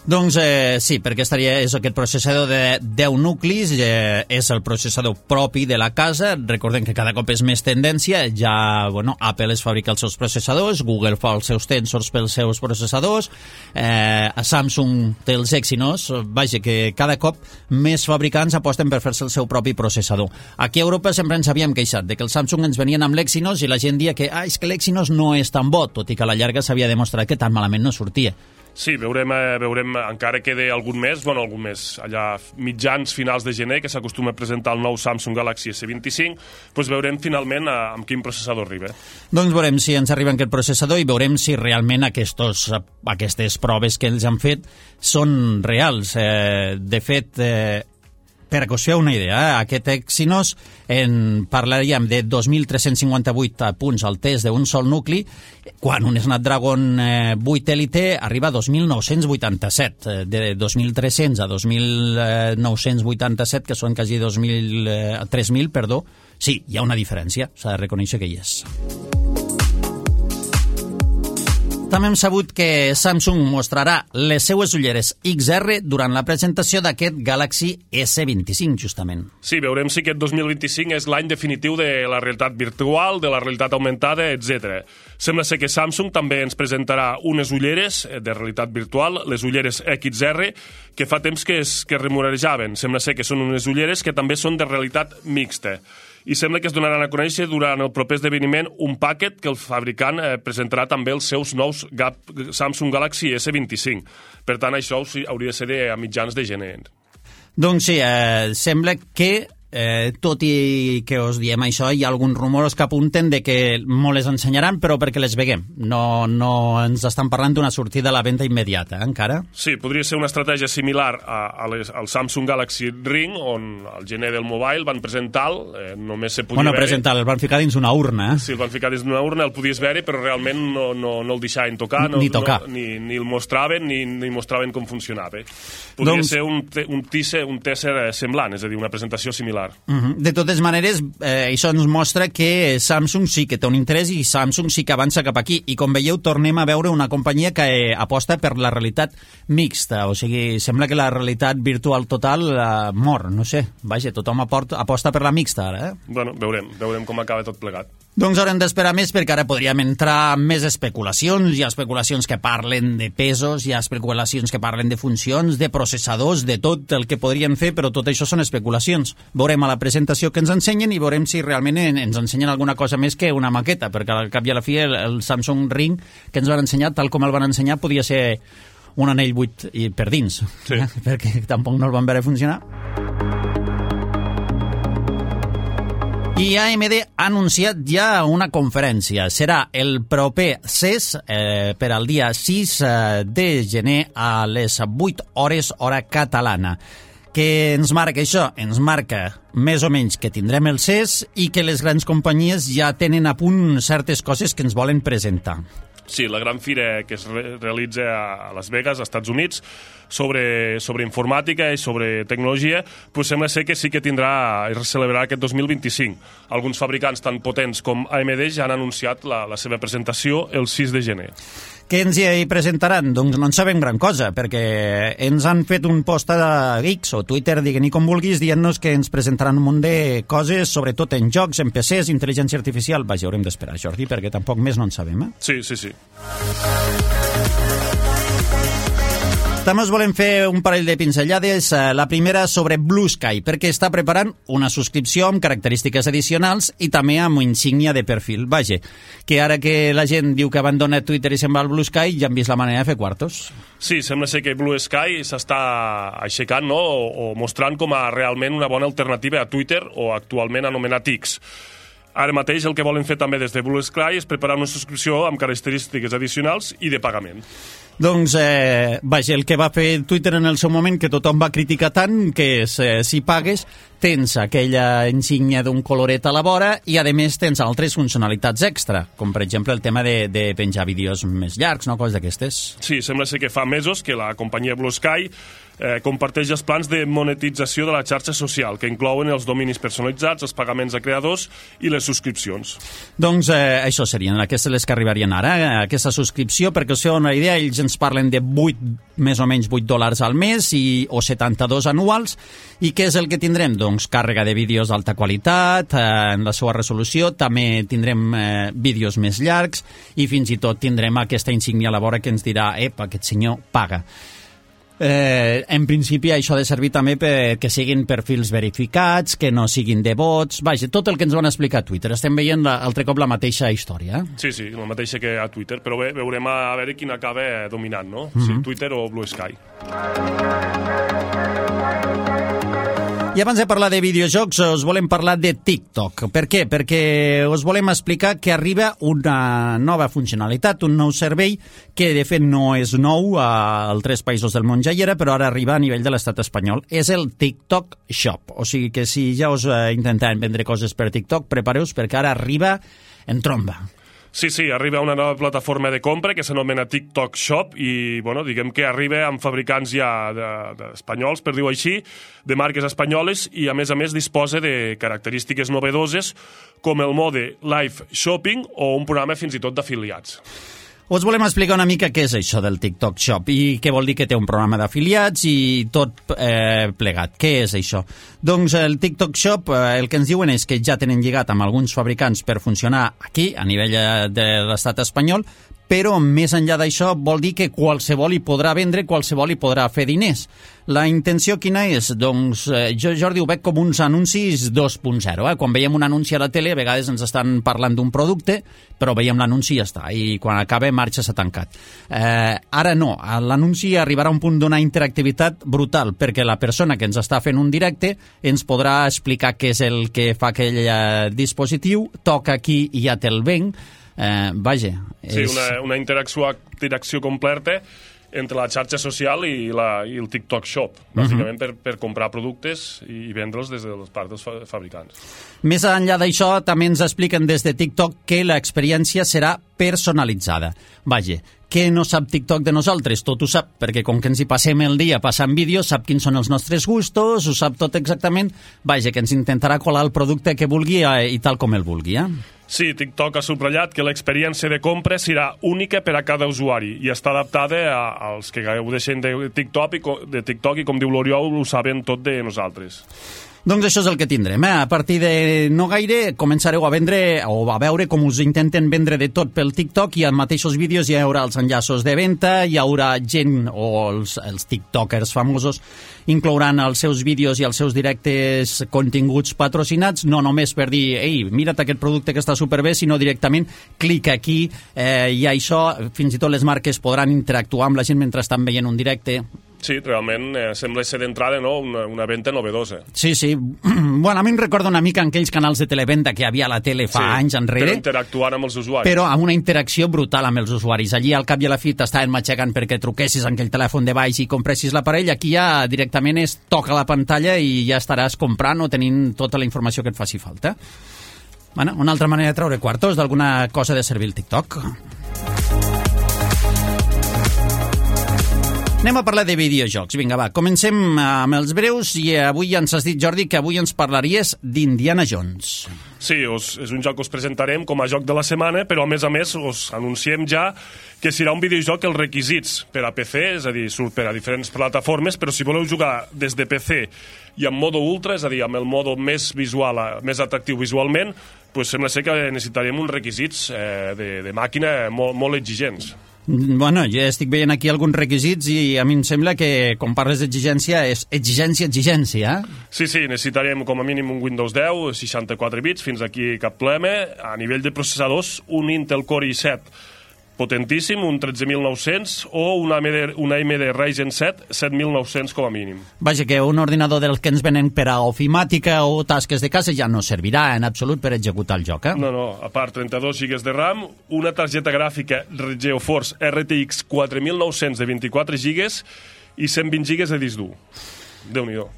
Doncs eh, sí, perquè estaria, és aquest processador de deu nuclis, eh, és el processador propi de la casa. Recordem que cada cop és més tendència, ja, bueno, Apple es fabrica els seus processadors, Google fa els seus tensors pels seus processadors, eh, Samsung té els Exynos, vaja, que cada cop més fabricants aposten per fer-se el seu propi processador. Aquí a Europa sempre ens havíem queixat de que els Samsung ens venien amb l'Exynos i la gent dia que, ah, és que l'Exynos no és tan bo, tot i que a la llarga s'havia demostrat que tan malament no sortia. Sí, veurem, eh, veurem, encara queda algun mes, bueno, algun mes, allà mitjans, finals de gener, que s'acostuma a presentar el nou Samsung Galaxy esse vint-i-cinc, doncs veurem finalment eh, amb quin processador arriba. Doncs veurem si ens arriba aquest processador i veurem si realment aquestos, aquestes proves que ells han fet són reals. Eh, de fet, eh, per que us feu una idea, eh, aquest Exynos en parlaríem de dos mil tres-cents cinquanta-vuit punts al test d'un sol nucli, quan un Snapdragon eh, vuit Elite arriba a dos mil nou-cents vuitanta-set. Eh, de dos mil tres-cents a dos mil nou-cents vuitanta-set, que són quasi dos mil, eh, tres mil, perdó. Sí, hi ha una diferència, s'ha de reconèixer que hi és. També hem sabut que Samsung mostrarà les seues ulleres ics erre durant la presentació d'aquest Galaxy esse vint-i-cinc, justament. Sí, veurem si aquest dos mil vint-i-cinc és l'any definitiu de la realitat virtual, de la realitat augmentada, etcètera. Sembla ser que Samsung també ens presentarà unes ulleres de realitat virtual, les ulleres ics erre, que fa temps que es que remunejaven. Sembla ser que són unes ulleres que també són de realitat mixta. I sembla que es donaran a conèixer durant el proper esdeveniment un paquet que el fabricant eh, presentarà també els seus nous Gap, Samsung Galaxy esse vint-i-cinc. Per tant, això hauria de ser a mitjans de gener. Doncs sí, eh, sembla que Eh, tot i que us diem això, hi ha alguns rumors que apunten de que molt les ensenyaran, però perquè les veguem. No, no ens estan parlant d'una sortida a la venda immediata, eh, encara. Sí, podria ser una estratègia similar a, a les, al Samsung Galaxy Ring, on al gener del Mobile van presentar-lo, eh, només se podia bueno, veure... presentar el van ficar dins una urna. Eh? Sí, el van ficar dins una urna, el podies veure, però realment no, no, no el deixaven tocar, no, ni tocar. No, ni, ni el mostraven, ni, ni mostraven com funcionava. Podria doncs... ser un, un, teaser, un teaser semblant, és a dir, una presentació similar. Uh-huh. De totes maneres, eh, això ens mostra que Samsung sí que té un interès i Samsung sí que avança cap aquí. I com veieu, tornem a veure una companyia que eh, aposta per la realitat mixta. O sigui, sembla que la realitat virtual total eh, mor, no sé. Vaja, tothom aporta, aposta per la mixta ara, eh? Bueno, veurem, veurem com acaba tot plegat. Doncs haurem d'esperar més perquè ara podríem entrar en més especulacions. Hi ha especulacions que parlen de pesos, hi ha especulacions que parlen de funcions, de processadors, de tot el que podrien fer, però tot això són especulacions. Veurem a la presentació que ens ensenyen i veurem si realment ens ensenyen alguna cosa més que una maqueta, perquè al cap i a la fi el, el Samsung Ring que ens van ensenyar, tal com el van ensenyar, podia ser un anell buit per dins, sí. eh? Perquè tampoc no el van veure funcionar. I A M D ha anunciat ja una conferència. Serà el proper C E S eh, per al dia sis de gener a les vuit hores hora catalana. Què ens marca això? Ens marca més o menys que tindrem el C E S i que les grans companyies ja tenen a punt certes coses que ens volen presentar. Sí, la gran fira que es re realitza a Las Vegas, als Estats Units, sobre, sobre informàtica i sobre tecnologia, pues sembla ser que sí que tindrà, es celebrarà aquest dos mil vint-i-cinc. Alguns fabricants tan potents com A M D ja han anunciat la, la seva presentació el sis de gener. Què ens hi presentaran? Doncs no en sabem gran cosa, perquè ens han fet un post a X o Twitter, digui-n'hi com vulguis, dient-nos que ens presentaran un munt de coses, sobretot en jocs, en P Cs, intel·ligència artificial. Vaja, haurem d'esperar, Jordi, perquè tampoc més no en sabem, eh? Sí, sí, sí. També us volem fer un parell de pinzellades. La primera sobre Blue Sky, perquè està preparant una subscripció amb característiques addicionals i també amb insígnia de perfil. Vaja, que ara que la gent diu que abandona Twitter i se'n va al Blue Sky, ja han vist la manera de fer quartos. Sí, sembla ser que Blue Sky s'està aixecant, no?, o, o mostrant com a realment una bona alternativa a Twitter, o actualment anomenat X. Ara mateix el que volen fer també des de Blue Sky és preparar una subscripció amb característiques addicionals i de pagament. Doncs, eh, vaja, el que va fer Twitter en el seu moment, que tothom va criticar tant, que és, eh, si pagues, tens aquella insígnia d'un coloret a la vora i, a més, tens altres funcionalitats extra, com, per exemple, el tema de, de penjar vídeos més llargs, no?, coses d'aquestes. Sí, sembla ser que fa mesos que la companyia Blue Sky eh, comparteix els plans de monetització de la xarxa social, que inclouen els dominis personalitzats, els pagaments a creadors i les subscripcions. Doncs eh, això serien aquestes les que arribarien ara, eh, aquesta subscripció, perquè us feu una idea, ells ens parlen de vuit, més o menys vuit dòlars al mes i, o setanta-dos anuals. I què és el que tindrem? Doncs càrrega de vídeos d'alta qualitat, eh, en la seva resolució, també tindrem eh, vídeos més llargs i fins i tot tindrem aquesta insígnia a la vora que ens dirà, epa, aquest senyor paga. Eh, en principi això ha de servir també perquè siguin perfils verificats, que no siguin de bots, vaja, tot el que ens van explicar a Twitter. Estem veient altre cop la mateixa història. Eh? Sí, sí, la mateixa que a Twitter, però bé, veurem a veure quin acaba dominant, no? Mm-hmm. Si Twitter o Blue Sky. I abans de parlar de videojocs, us volem parlar de TikTok. Per què? Perquè us volem explicar que arriba una nova funcionalitat, un nou servei, que de fet no és nou a altres països del món ja hi era, però ara arriba a nivell de l'estat espanyol. És el TikTok Shop. O sigui que si ja us intentaven vendre coses per TikTok, prepareu-vos perquè ara arriba en tromba. Sí, sí, arriba una nova plataforma de compra que s'anomena TikTok Shop i, bueno, diguem que arriba amb fabricants ja de, de espanyols, per dir-ho així, de marques espanyoles i, a més a més, disposa de característiques novedoses com el mode Live Shopping o un programa fins i tot d'afiliats. Us volem explicar una mica què és això del TikTok Shop i què vol dir que té un programa d'afiliats i tot eh, plegat. Què és això? Doncs el TikTok Shop eh, el que ens diuen és que ja tenen lligat amb alguns fabricants per funcionar aquí, a nivell de l'estat espanyol, però més enllà d'això vol dir que qualsevol hi podrà vendre, qualsevol hi podrà fer diners. La intenció quina és? Doncs eh, jo, Jordi, ho veig com uns anuncis dos punt zero. Eh? Quan veiem un anunci a la tele, a vegades ens estan parlant d'un producte, però veiem l'anunci i ja està, i quan acaba marxa s'ha tancat. Eh, ara no, l'anunci arribarà a un punt d'una interactivitat brutal, perquè la persona que ens està fent un directe ens podrà explicar què és el que fa aquell eh, dispositiu, toca aquí i ja te'l venc. Eh, vaja, és... Sí, una, una interacció, interacció completa entre la xarxa social i, la, i el TikTok Shop, bàsicament uh-huh. per, per comprar productes i vendre'ls des de les parts dels fabricants. Més enllà d'això, també ens expliquen des de TikTok que l'experiència serà personalitzada. Vaja, què no sap TikTok de nosaltres? Tot ho sap, perquè com que ens hi passem el dia passant vídeos, sap quins són els nostres gustos, ho sap tot exactament. Vaja, que ens intentarà colar el producte que vulgui eh, i tal com el vulgui, eh? Sí, TikTok ha subratllat que l'experiència de compra serà única per a cada usuari i està adaptada a, als que gaudeixen de TikTok, i, de TikTok i, com diu l'Oriol, ho saben tot de nosaltres. Doncs això és el que tindrem. Eh? A partir de no gaire començareu a vendre o a veure com us intenten vendre de tot pel TikTok i en mateixos vídeos hi haurà els enllaços de venda, hi haurà gent o els, els tiktokers famosos inclouran els seus vídeos i els seus directes continguts patrocinats, no només per dir ei, mira't aquest producte que està superbé, sinó directament clica aquí eh, i això, fins i tot les marques podran interactuar amb la gent mentre estan veient un directe. Sí, realment eh, sembla ser d'entrada, no? una, una venda novedosa. Sí, sí. Bueno, a mi em recorda una mica en aquells canals de televenda que hi havia a la tele fa sí, anys enrere. Però interactuant amb els usuaris. Però amb una interacció brutal amb els usuaris. Allí al cap i a la fi t'estaven matxegant perquè truquessis en aquell telèfon de baix i compressis l'aparell. Aquí ja directament és toca la pantalla i ja estaràs comprant o tenint tota la informació que et faci falta. Bueno, una altra manera de treure quartos d'alguna cosa de servir el TikTok. Anem a parlar de videojocs. Vinga, va, comencem amb els breus i avui ja ens has dit, Jordi, que avui ens parlaries d'Indiana Jones. Sí, us, és un joc que us presentarem com a joc de la setmana, però a més a més us anunciem ja que serà un videojoc els requisits per a P C, és a dir, surt per a diferents plataformes, però si voleu jugar des de P C i en modo ultra, és a dir, amb el modo més visual, més atractiu visualment, pues sembla ser que necessitarem uns requisits eh, de, de màquina molt, molt exigents. Bueno, jo estic veient aquí alguns requisits i a mi em sembla que, quan parles d'exigència, és exigència, exigència. Sí, sí, necessitarem com a mínim un Windows deu, seixanta-quatre bits, fins aquí cap problema. A nivell de processadors, un Intel Core i set potentíssim, un tretze mil nou-cents, o una A M D, una A M D Ryzen set, set mil nou-cents com a mínim. Vaja, que un ordinador dels que ens venen per a ofimàtica o tasques de casa ja no servirà en absolut per executar el joc, eh? No, no, a part trenta-dos gigas de RAM, una targeta gràfica GeForce R T X quatre mil nou-cents de vint-i-quatre gigas i cent vint gigas de disc dur. Déu-n'hi-do.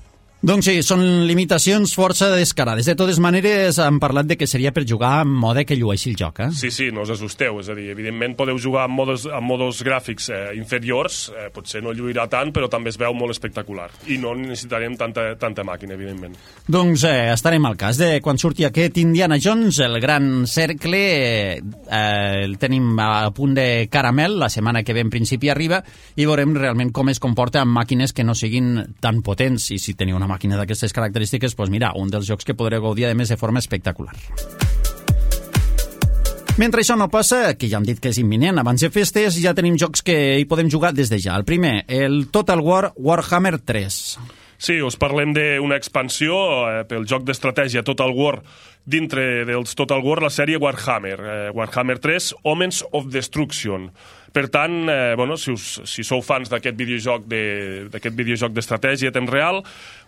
Doncs sí, són limitacions força descarades. De totes maneres, han parlat de que seria per jugar en mode que llueixi el joc, eh? Sí, sí, no us assusteu. És a dir, evidentment podeu jugar amb modos, amb modos gràfics eh, inferiors, eh, potser no lluirà tant, però també es veu molt espectacular. I no necessitarem tanta, tanta màquina, evidentment. Doncs eh, estarem al cas de quan surti aquest Indiana Jones, el gran cercle, eh, el tenim a punt de caramel, la setmana que ve en principi arriba, i veurem realment com es comporta amb màquines que no siguin tan potents, i si teniu una màquina d'aquestes característiques, doncs mira, un dels jocs que podreu gaudir, a més, de forma espectacular. Mentre això no passa, que ja hem dit que és imminent, abans de festes, ja tenim jocs que hi podem jugar des de ja. El primer, el Total War Warhammer tres. Sí, us parlem d'una expansió eh, pel joc d'estratègia Total War, dintre dels Total War, la sèrie Warhammer. Eh, Warhammer tres, Omens of Destruction. Per tant, eh, bueno, si, us, si sou fans d'aquest videojoc de, d'aquest videojoc d'estratègia a temps real,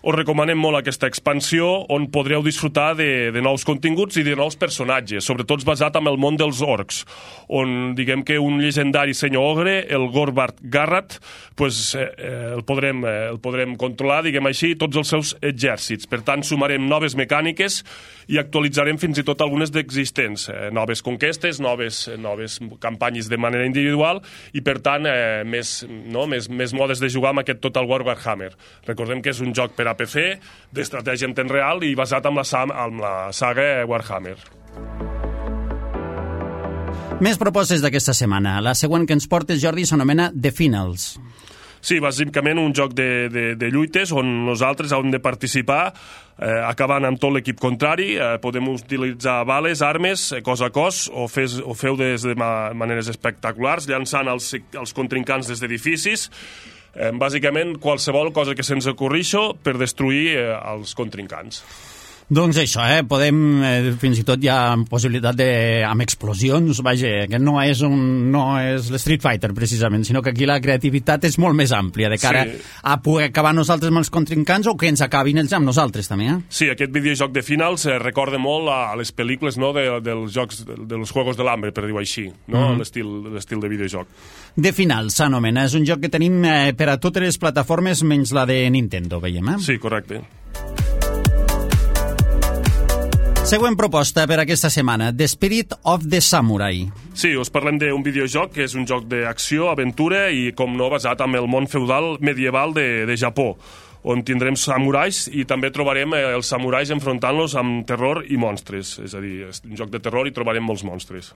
us recomanem molt aquesta expansió on podreu disfrutar de, de nous continguts i de nous personatges, sobretot basat en el món dels orcs, on diguem que un llegendari senyor ogre, el Gorbart Garrat, pues, eh, el, podrem, eh, el podrem controlar, diguem així, tots els seus exèrcits. Per tant, sumarem noves mecàniques i actualitzarem fins i tot algunes d'existents, eh, noves conquestes, noves, noves campanyes de manera individual, i per tant eh, més, no, més, més modes de jugar amb aquest Total War Warhammer. Recordem que és un joc per a P C, d'estratègia en temps real i basat en la, en la saga Warhammer. Més propostes d'aquesta setmana. La següent que ens portes, Jordi, s'anomena The Finals. Sí, bàsicament un joc de, de, de lluites on nosaltres hem de participar eh, acabant amb tot l'equip contrari. Eh, podem utilitzar bales, armes, eh, cos a cos, o, fes, o feu des de ma maneres espectaculars, llançant els, els contrincants des d'edificis. Eh, bàsicament, qualsevol cosa que se'ns ocorrixo per destruir eh, els contrincants. Doncs això, eh? Podem, eh, fins i tot hi ha possibilitat de, amb explosions, vaja, que no és, un, no és l'Street Fighter, precisament, sinó que aquí la creativitat és molt més àmplia, de cara sí. a poder acabar nosaltres amb els contrincants o que ens acabin ells amb nosaltres, també, eh? Sí, aquest videojoc de Finals eh, recorda molt a les pel·lícules, no?, de, dels jocs, de, dels Juegos de l'Hambre, per dir-ho així, no?, mm. l'estil de videojoc. De Finals s'anomena, és un joc que tenim eh, per a totes les plataformes menys la de Nintendo, veiem, eh? Sí, correcte. Següent proposta per aquesta setmana, The Spirit of the Samurai. Sí, us parlem d'un videojoc que és un joc d'acció, aventura i, com no, basat en el món feudal medieval de, de Japó, on tindrem samurais i també trobarem els samurais enfrontant-los amb terror i monstres. És a dir, és un joc de terror i trobarem molts monstres.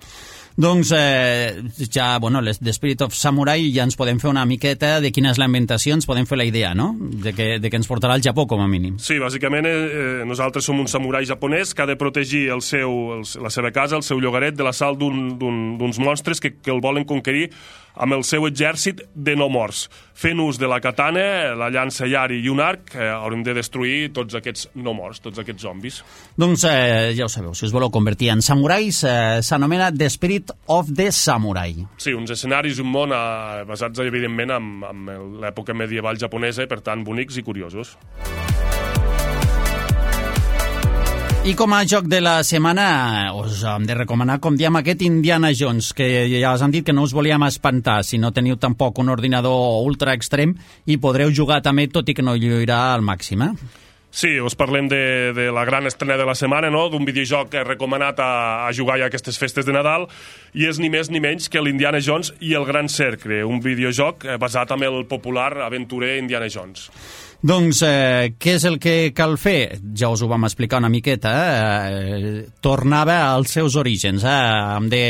Doncs eh, ja, bueno, The Spirit of Samurai ja ens podem fer una miqueta de quina és la inventació, ens podem fer la idea, no?, de que, de que ens portarà al Japó, com a mínim. Sí, bàsicament eh, nosaltres som un samurai japonès que ha de protegir el seu, el, la seva casa, el seu llogaret, de l'assalt d'uns monstres que, que el volen conquerir amb el seu exèrcit de no morts. Fent ús de la katana, la llança yari i un arc, eh, haurem de destruir tots aquests no morts, tots aquests zombis. Doncs eh, ja ho sabeu, si us voleu convertir en samurais, eh, s'anomena The Spirit of the Samurai. Sí, uns escenaris i un món eh, basats, evidentment, en, en l'època medieval japonesa, per tant, bonics i curiosos. I com a joc de la setmana us hem de recomanar, com diem, aquest Indiana Jones, que ja us hem dit que no us volíem espantar si no teniu tampoc un ordinador ultra extrem i podreu jugar també, tot i que no lluirà al màxim, eh? Sí, us parlem de, de la gran estrena de la setmana, no? D'un videojoc recomanat a, a jugar a aquestes festes de Nadal, i és ni més ni menys que l'Indiana Jones i el Gran Cercle, un videojoc basat en el popular aventurer Indiana Jones. Doncs eh, què és el que cal fer? Ja us ho vam explicar una miqueta. Eh? Tornava als seus orígens. Eh? Hem de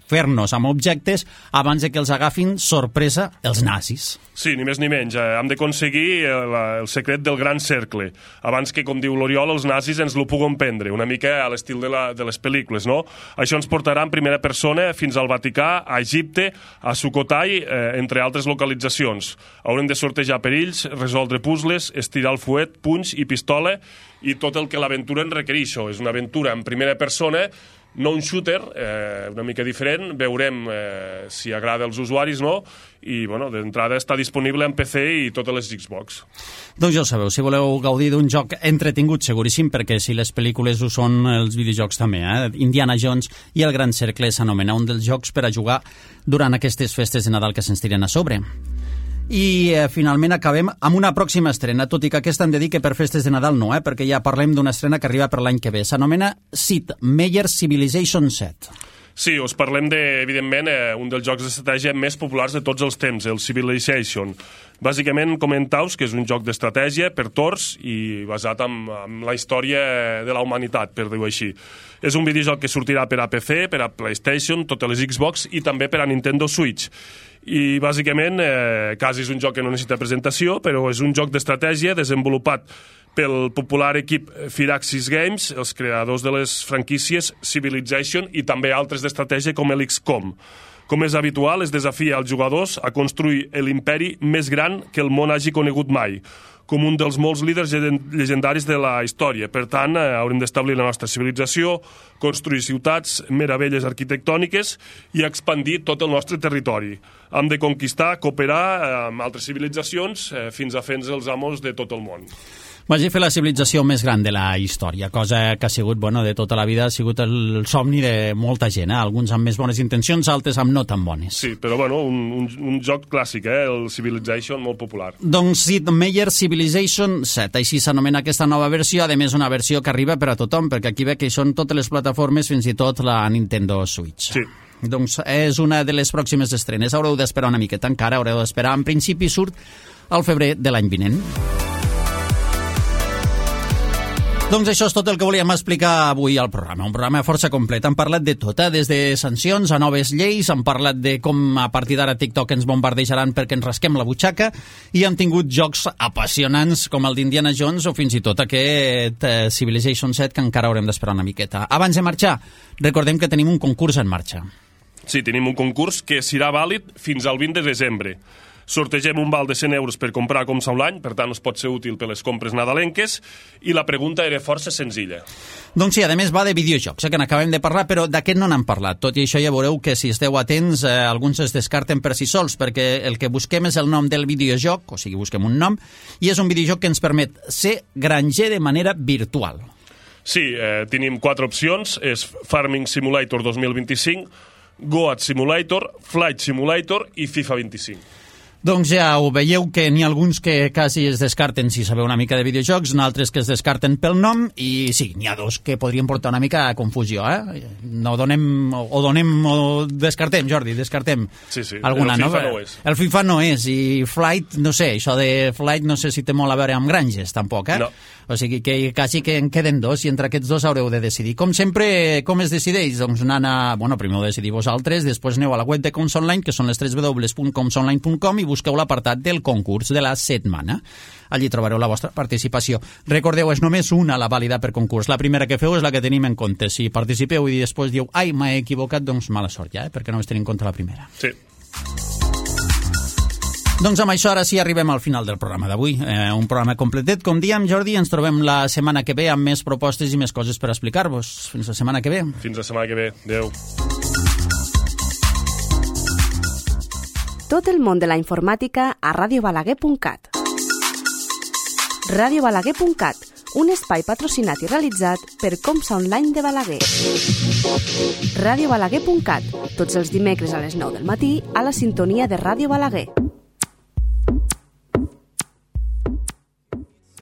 fer-nos amb objectes abans de que els agafin sorpresa els nazis. Sí, ni més ni menys. Eh, hem d'aconseguir el, el secret del Gran Cercle, abans que, com diu l'Oriol, els nazis ens lo puguen prendre, una mica a l'estil de, la, de les pel·lícules, no? Això ens portarà en primera persona fins al Vaticà, a Egipte, a Sukhothai, eh, entre altres localitzacions. Haurem de sortejar perills, resoldre puzzles, estirar el fuet, punys i pistola, i tot el que l'aventura en requereix. És una aventura en primera persona, no un shooter, eh, una mica diferent, veurem eh, si agrada als usuaris, no? I, bueno, d'entrada està disponible en P C i totes les Xbox. Doncs ja ho sabeu, si voleu gaudir d'un joc entretingut, seguríssim, perquè si les pel·lícules ho són, els videojocs també, eh? Indiana Jones i el Gran Cercle s'anomena un dels jocs per a jugar durant aquestes festes de Nadal que se'ns tiren a sobre. I eh, finalment acabem amb una pròxima estrena, tot i que aquesta em dedique per festes de Nadal no, eh, perquè ja parlem d'una estrena que arriba per l'any que ve. S'anomena Sid Meier's Civilization set. Sí, us parlem de, evidentment, eh, un dels jocs d'estratègia més populars de tots els temps, el Civilization. Bàsicament, comentaus que és un joc d'estratègia per torns i basat en, en la història de la humanitat, per dir-ho així. És un videojoc que sortirà per a P C, per a PlayStation, totes les Xbox i també per a Nintendo Switch. I bàsicament eh, quasi és un joc que no necessita presentació, però és un joc d'estratègia desenvolupat pel popular equip Firaxis Games, els creadors de les franquícies Civilization i també altres d'estratègia com l'X COM. Com és habitual, es desafia als jugadors a construir l'imperi més gran que el món hagi conegut mai, com un dels molts líders llegendaris de la història. Per tant, eh, haurem d'establir la nostra civilització, construir ciutats, meravelles arquitectòniques i expandir tot el nostre territori. Hem de conquistar, cooperar eh, amb altres civilitzacions eh, fins a fer-nos els amos de tot el món. Vagi fer la civilització més gran de la història, cosa que ha sigut, bueno, de tota la vida, ha sigut el somni de molta gent, eh? Alguns amb més bones intencions, altres amb no tan bones. Sí, però bueno, un, un, un joc clàssic, eh? El Civilization, molt popular. Doncs Sid Meier's Civilization set, així s'anomena aquesta nova versió, a més una versió que arriba per a tothom, perquè aquí ve que són totes les plataformes, fins i tot la Nintendo Switch. Sí. Doncs és una de les pròximes estrenes, haureu d'esperar una miqueta encara, haureu d'esperar, en principi surt al febrer de l'any vinent. Doncs això és tot el que volíem explicar avui al programa. Un programa força complet. Hem parlat de tot, eh? Des de sancions a noves lleis, hem parlat de com a partir d'ara TikTok ens bombardejaran perquè ens rasquem la butxaca i hem tingut jocs apassionants com el d'Indiana Jones o fins i tot aquest eh, Civilization set que encara haurem d'esperar una miqueta. Abans de marxar, recordem que tenim un concurs en marxa. Sí, tenim un concurs que serà vàlid fins al vint de desembre. Sortegem un val de cent euros per comprar com sa un any, per tant us pot ser útil per les compres nadalenques, i la pregunta era força senzilla. Doncs sí, a més va de videojocs, eh, que n'acabem de parlar, però d'aquest no n'hem parlat. Tot i això ja veureu que si esteu atents, eh, alguns es descarten per si sols, perquè el que busquem és el nom del videojoc, o sigui, busquem un nom, i és un videojoc que ens permet ser granger de manera virtual. Sí, eh, tenim quatre opcions, és Farming Simulator dos mil vint-i-cinc, Goat Simulator, Flight Simulator i FIFA vint-i-cinc. Doncs ja ho veieu que n'hi ha alguns que quasi es descarten si sabeu una mica de videojocs, n'altres que es descarten pel nom, i sí, n'hi ha dos que podrien portar una mica a confusió, eh? No donem, o donem, o descartem, Jordi, descartem. Sí, sí, alguna, el FIFA no? no és. El FIFA no és, i Flight, no sé, això de Flight no sé si té molt a veure amb granges, tampoc, eh? No. O sigui que quasi que en queden dos, i entre aquests dos haureu de decidir. Com sempre, com es decideix? Doncs anant a, bueno, primer ho decidir vosaltres, després aneu a la web de Coms Online, que són les w w w punt coms online punt com, i busqueu l'apartat del concurs de la setmana. Allí trobareu la vostra participació. Recordeu, és només una la vàlida per concurs. La primera que feu és la que tenim en compte. Si participeu i després diu, ai, m'he equivocat, doncs mala sort ja, eh? Perquè només tenim en compte la primera. Sí. Doncs amb això ara sí arribem al final del programa d'avui. Eh, un programa completet, com diem, Jordi, ens trobem la setmana que ve amb més propostes i més coses per explicar-vos. Fins la setmana que ve. Fins la setmana que ve. Adéu. Tot el món de la informàtica a ràdio balaguer punt cat. ràdio balaguer punt cat, un espai patrocinat i realitzat per Comsa Online de Balaguer. ràdio balaguer punt cat, tots els dimecres a les nou del matí a la sintonia de Ràdio Balaguer.